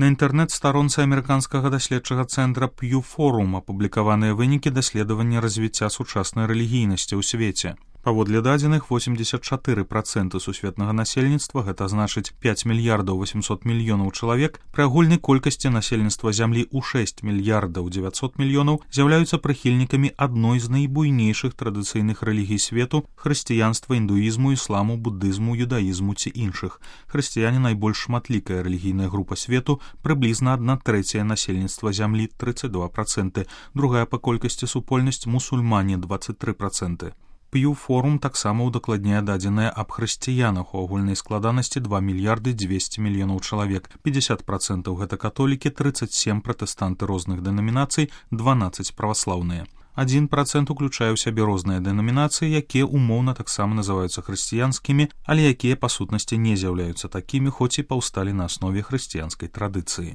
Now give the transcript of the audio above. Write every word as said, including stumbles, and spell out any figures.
На інтэрнэт-старонцы амерыканскага даследчага цэнтра Pew Forum апублікаваныя вынікі даследавання развіцця сучаснай рэлігійнасці ў свеце. Паводле дадзеных, восемьдесят четыре проценты сусветнага насельніцтва, гэта значыць пять мільярдаў восемьсот мільёнаў чалавек, пры агульнай колькасці насельніцтва зямлі ў шесть мільярдаў дзевяцьсот мільёнаў з'яўляюцца прыхільнікамі адной з найбуйнейшых традыцыйных рэлігій свету — хрысціянства, індуізму, ісламу, буддызму, юдаізму ці іншых. Хрысціяне найбольш шматлікая рэлігійная група свету, прыблізна адна трэцяя насельніцтва зямлі тридцать два проценты, другая па колькасці супольнасць мусульмане двадцать три проценты. Pew Forum таксама ўдакладняе дадзеныя аб хрысціянах у агульнай складанасці два мільярды двести мільёнаў чалавек, пятьдесят процентов гэта католікі, тридцать семь пратэстанты розных дэнамінацый, дванаццаць праваслаўныя. один процент уключае ў сябе розныя дэнамінацыі, якія умоўна таксама называюцца хрысціянскімі, але якія па сутнасці не з'яўляюцца такімі, хоць і паўсталі на аснове хрысціянскай традыцыі.